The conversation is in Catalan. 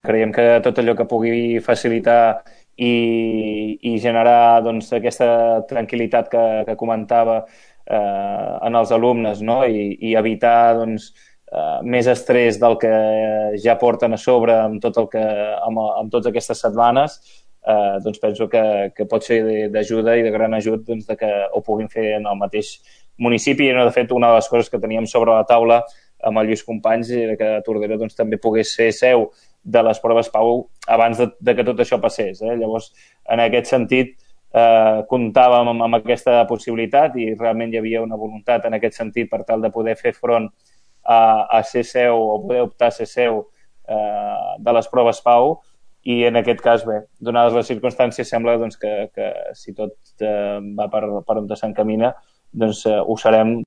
Creiem que tot allò que pugui facilitar i generar doncs, aquesta tranquil·litat que comentava en els alumnes, no? I evitar doncs, més estrès del que ja porten a sobre amb tot amb totes aquestes setmanes, doncs penso que pot ser d'ajuda i de gran ajut doncs, de que ho puguin fer en el mateix municipi. I, no, de fet, una de les coses que teníem sobre la taula amb el Lluís Companys era que Tordera doncs, també pogués ser seu de les proves PAU abans de que tot això passés. Llavors, en aquest sentit, comptàvem amb aquesta possibilitat i realment hi havia una voluntat en aquest sentit per tal de poder fer front a ser seu o poder optar a ser seu de les proves PAU, i en aquest cas, bé, donades les circumstàncies, sembla doncs, que si tot va per on s'encamina, doncs ho serem